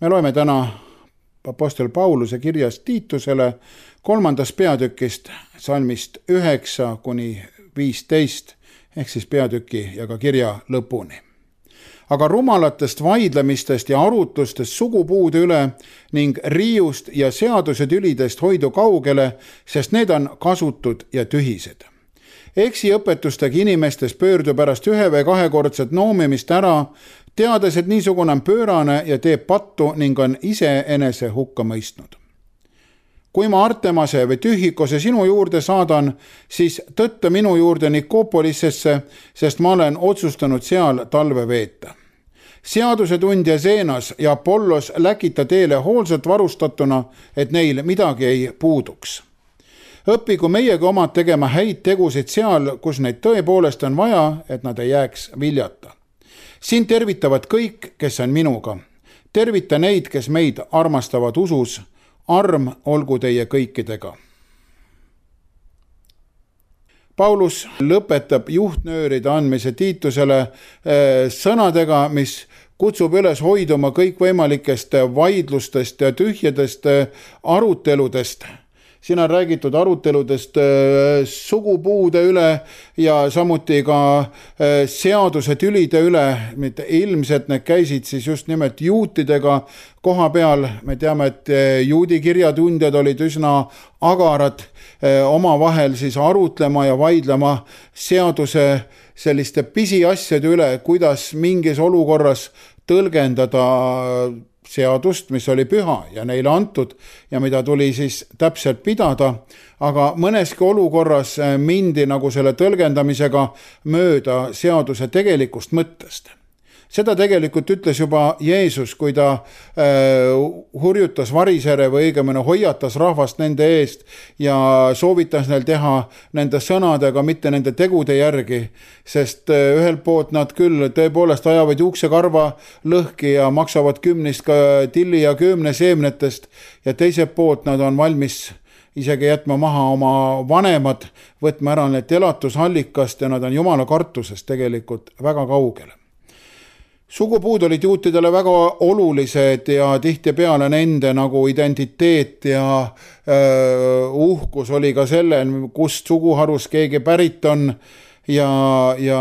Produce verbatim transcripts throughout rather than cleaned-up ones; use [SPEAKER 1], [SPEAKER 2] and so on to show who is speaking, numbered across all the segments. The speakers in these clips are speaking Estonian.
[SPEAKER 1] Me loeme täna apostel Pauluse kirjast Tiitusele kolmandast peatükist, salmist üheksa kuni viisteist, ehk siis peatüki ja ka kirja lõpuni. Aga rumalatest vaidlemistest ja arutlustest sugupuude üle ning riiust ja seaduse tülidest hoidu kaugele, sest need on kasutud ja tühised. Eksiõpetustega inimestes pöördu pärast ühe või kahekordset noomimist ära, teades, et niisugune on pöörane ja teeb pattu ning on iseenese hukka mõistnud. Kui ma Artemase või Tühikose sinu juurde saadan, siis tõtta minu juurde Nikopolisesse, sest ma olen otsustanud seal talve veeta. Seadusetundja Zeenas ja Apollos läkita teele hoolsalt varustatuna, et neil midagi ei puuduks. Õppigu meiega omad tegema häid tegusid seal, kus neid tõepoolest on vaja, et nad ei jääks viljata. Siin tervitavad kõik, kes on minuga. Tervita neid, kes meid armastavad usus. Arm olgu teie kõikidega. Paulus lõpetab juhtnööride andmise Tiitusele sõnadega, mis kutsub üles hoiduma kõikvõimalikest vaidlustest ja tühjadest aruteludest. Siin on räägitud aruteludest sugupuude üle ja samuti ka seaduse tülide üle, mitte ilmselt need käisid siis just nimelt juutidega koha peal. Me teame, et juudi kirjatundjad olid üsna agarad omavahel siis arutlema ja vaidlema seaduse selliste pisiasjade üle, kuidas mingis olukorras tõlgendada seadust, mis oli püha ja neile antud ja mida tuli siis täpselt pidada, aga mõneski olukorras mindi nagu selle tõlgendamisega mööda seaduse tegelikust mõttest. Seda tegelikult ütles juba Jeesus, kui ta äh, hurjutas varisere või õigemini hoiatas rahvast nende eest ja soovitas neil teha nende sõnadega, mitte nende tegude järgi, sest äh, ühelt poolt nad küll tõepoolest ajavad juuksekarva lõhki ja maksavad kümnist ka tilli ja kümne seemnetest ja teiselt poolt nad on valmis isegi jätma maha oma vanemad, võtma ära need elatusallikast ja nad on jumala kartusest tegelikult väga kaugele. Sugupuud olid juutidele väga olulised ja tihtipeale nende nagu identiteet ja öö, uhkus oli ka selle, kust suguharus keegi pärit on ja, ja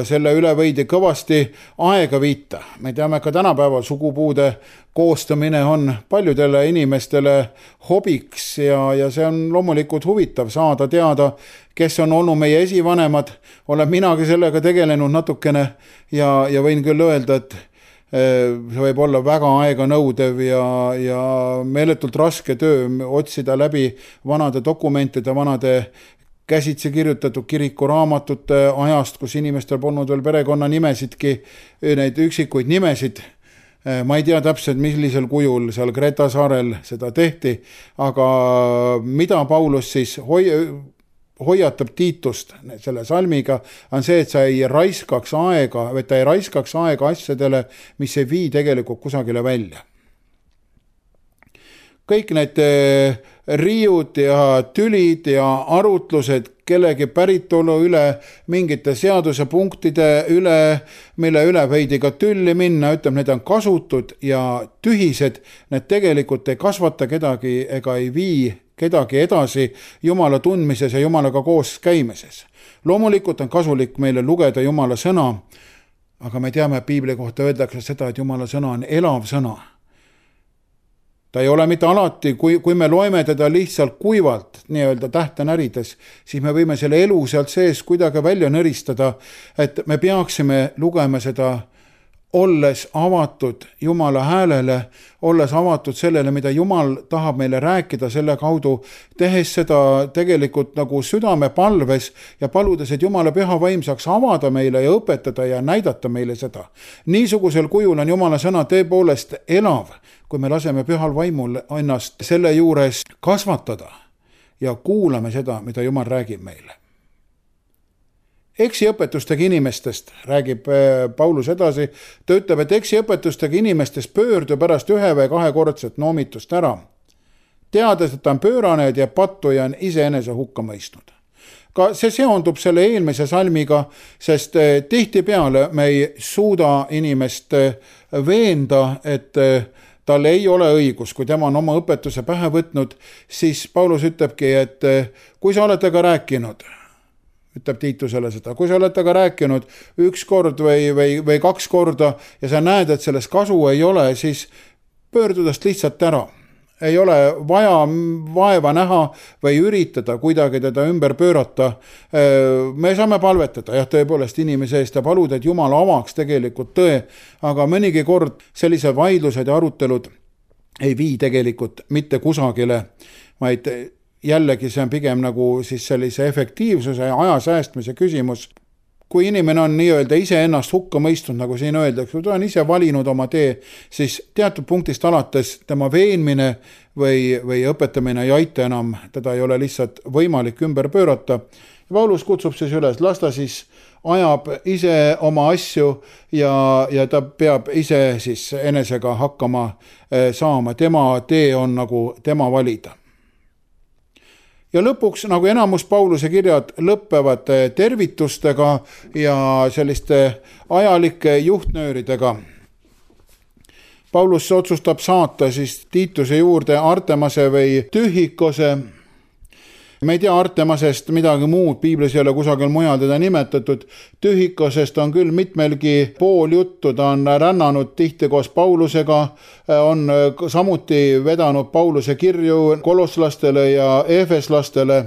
[SPEAKER 1] selle üle võidi kõvasti aega viita. Me teame ka tänapäeval sugupuude koostamine on paljudele inimestele hobiks ja, ja see on loomulikult huvitav saada teada, kes on olnud meie esivanemad. Olen minagi sellega tegelenud natukene ja, ja võin küll öelda, et see võib olla väga aega nõudev ja, ja meeletult raske töö otsida läbi vanade dokumentide, vanade käsitsi kirjutatud kirikuraamatute ajast, kus inimestel polnud veel perekonna nimesidki, neid üksikuid nimesid. Ma ei tea täpselt, millisel kujul seal Kreta saarel seda tehti, aga mida Paulus siis hoi, hoiatab Tiitust selle salmiga, on see, et sa ei raiskaks aega, või ta ei raiskaks aega asjadele, mis ei vii tegelikult kusagile välja. Kõik need riiud ja tülid ja arutlused kellegi päritolu üle, mingite seaduse punktide üle, mille üle võidi ka tülli minna, ütleb, need on kasutud ja tühised, need tegelikult ei kasvata kedagi ega ei vii kedagi edasi Jumala tundmises ja Jumalaga koos käimises. Loomulikult on kasulik meile lugeda Jumala sõna, aga me teame, Piibli kohta öeldakse seda, et Jumala sõna on elav sõna. Ta ei ole mitte alati, kui, kui me loeme teda lihtsalt kuivalt, nii-öelda tähte närides, siis me võime selle elu sealt sees kuidagi välja nõristada, et me peaksime lugema seda olles avatud Jumala häälele, olles avatud sellele, mida Jumal tahab meile rääkida selle kaudu, tehes seda tegelikult nagu südame palves ja paludes, et Jumala püha vaim saaks avada meile ja õpetada ja näidata meile seda. Niisugusel kujul on Jumala sõna tõepoolest elav, kui me laseme pühal vaimul ennast selle juures kasvatada ja kuulame seda, mida Jumal räägib meile. Eksiõpetustega inimestest räägib Paulus edasi. Ta ütleb, et eksiõpetustega inimestest pöördu pärast ühe või kahekordset noomitust ära. Teades, et ta on pöörane ja teeb pattu ja on iseenese hukka mõistnud. Ka see seondub selle eelmise salmiga, sest tihtipeale me ei suuda inimest veenda, et tal ei ole õigus, kui tema on oma õpetuse pähe võtnud, siis Paulus ütlebki, et kui sa oled temaga rääkinud, ütleb Tiitusele seda, kui sa oled temaga rääkinud üks kord või, või, või kaks korda ja sa näed, et sellest kasu ei ole, siis pöördudast lihtsalt ära. Ei ole vaja vaeva näha või üritada kuidagi teda ümber pöörata. Me saame palvetada, jah, tõepoolest inimese eest ja paluda, et Jumal avaks tegelikult tõe, aga mõnigi kord sellise vaidlused ja arutelud ei vii tegelikult mitte kusagile, vaid jällegi see on pigem nagu siis sellise efektiivsuse ja aja säästmise küsimus. Kui inimene on nii-öelda ise ennast hukka mõistnud, nagu siin öeldakse, kui ta on ise valinud oma tee, siis teatud punktist alates tema veenmine või, või õpetamine ei aita enam, teda ei ole lihtsalt võimalik ümber pöörata. Paulus kutsub siis üles, las ta siis ajab ise oma asju ja, ja ta peab ise siis enesega hakkama saama. Tema tee on nagu tema valida. Ja lõpuks, nagu enamus Pauluse kirjad lõppevad tervitustega ja selliste ajalike juhtnööridega. Paulus otsustab saata siis Tiituse juurde Artemase või Tühikose. Me ei tea Artemasest midagi muud, piiblis ei ole kusagil mujal teda nimetatud. Tühikosest on küll mitmelgi pool juttu, ta on rännanud tihti koos Paulusega, on samuti vedanud Pauluse kirju kolosslastele ja efeslastele.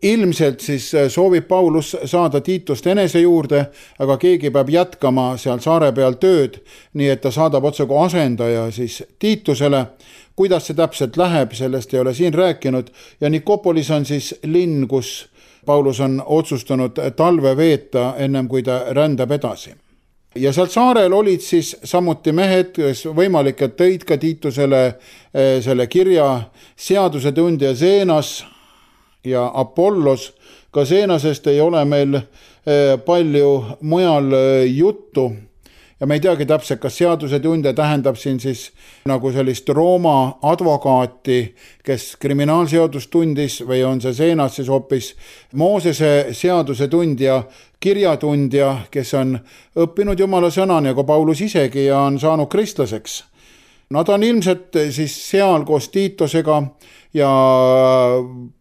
[SPEAKER 1] Ilmselt siis soovib Paulus saada Tiitust enese juurde, aga keegi peab jätkama seal saare peal tööd, nii et ta saadab otse kui asendaja siis Tiitusele. Kuidas see täpselt läheb, sellest ei ole siin rääkinud ja Nikopolis on siis linn, kus Paulus on otsustanud talve veeta ennem kui ta rändab edasi. Ja seal saarel olid siis samuti mehed, kes võimalik, et tõid ka Tiitusele selle kirja seadusetundja Zeenas ja Apollos. Ka Zeenasest ei ole meil palju mujal juttu. Ja me ei teagi täpselt, kas seadusetundja tähendab siin siis nagu sellist Rooma advokaati, kes kriminaalseadust tundis või on see Zeenas siis hoopis Moosese seadusetundja, kirjatundja, kes on õppinud Jumala sõna nagu Paulus isegi ja on saanud kristlaseks. Nad on ilmselt siis seal koos Tiitusega ja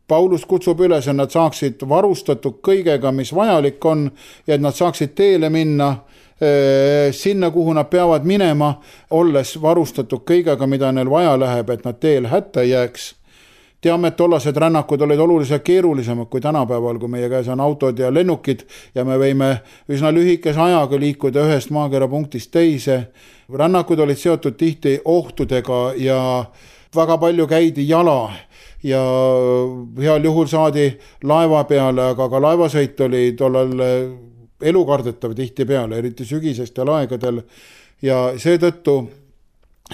[SPEAKER 1] Paulus kutsub üles, et nad saaksid varustatud kõigega, mis vajalik on ja et nad saaksid teele minna sinna, kuhu nad peavad minema, olles varustatud kõigega, mida neil vaja läheb, et nad teel hätta jääks. Teame, et tollased rännakud olid oluliselt keerulisemad kui tänapäeval, kui meie käes on autod ja lennukid ja me võime üsna lühikese ajaga liikuda ühest maakera punktist teise. Rännakud olid seotud tihti ohtudega ja väga palju käidi jala ja heal juhul saadi laeva peale, aga ka laevasõit oli tollal elukardetav tihti peale, eriti sügisestel aegadel ja seetõttu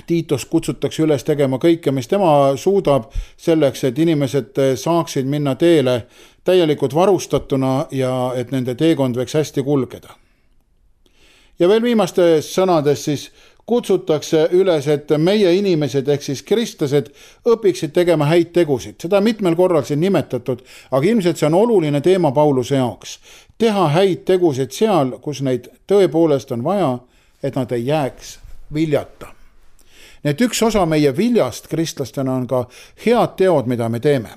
[SPEAKER 1] Tiitus kutsutakse üles tegema kõike, mis tema suudab selleks, et inimesed saaksid minna teele täielikult varustatuna ja et nende teekond võiks hästi kulgeda. Ja veel viimastes sõnades siis kutsutakse üles, et meie inimesed ehk siis kristlased õpiksid tegema häid tegusid. Seda mitmel korral siin nimetatud, aga ilmselt see on oluline teema Pauluse jaoks. Teha häid tegusid seal, kus neid tõepoolest on vaja, et nad ei jääks viljata. Nii et üks osa meie viljast kristlastena on ka head teod, mida me teeme.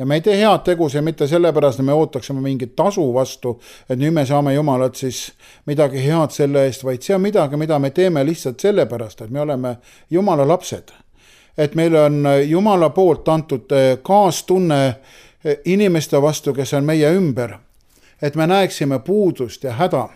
[SPEAKER 1] Ja me ei tee head tegusid mitte sellepärast, et me ootaksime mingit tasu vastu, et nüüd me saame Jumalat siis midagi head selle eest, vaid see on midagi, mida me teeme lihtsalt sellepärast, et me oleme Jumala lapsed. Et meil on Jumala poolt antud kaastunne inimeste vastu, kes on meie ümber. Et me näeksime puudust ja häda.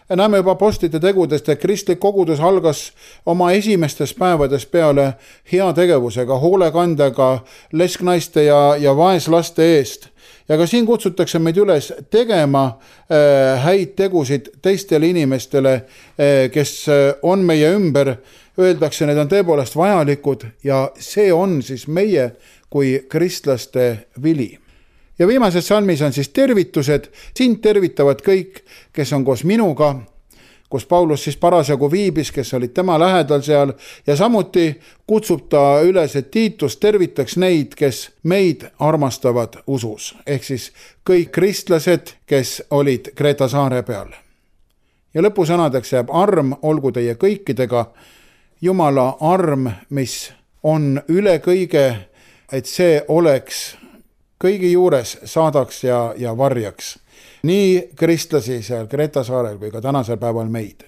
[SPEAKER 1] Ja näeme juba apostlite tegudest, et kristlik kogudus algas oma esimestes päevades peale heategevusega, hoolekandega, lesknaiste ja, ja vaeslaste eest. Ja ka siin kutsutakse meid üles tegema äh, häid tegusid teistele inimestele, äh, kes on meie ümber. Öeldakse, need on tõepoolest vajalikud ja see on siis meie kui kristlaste vili. Ja viimases salmis on siis tervitused. Sind tervitavad kõik, kes on koos minuga, kus Paulus siis parasjagu viibis, kes olid tema lähedal seal ja samuti kutsub ta üles, et Tiitus tervitaks neid, kes meid armastavad usus. Ehk siis kõik kristlased, kes olid Kreeta saare peal. Ja lõpusõnadeks jääb arm, olgu teie kõikidega Jumala arm, mis on üle kõige, et see oleks kõigi juures, saadaks ja, ja varjaks nii kristlasi seal Kreta saarel kui ka tänasel päeval meid.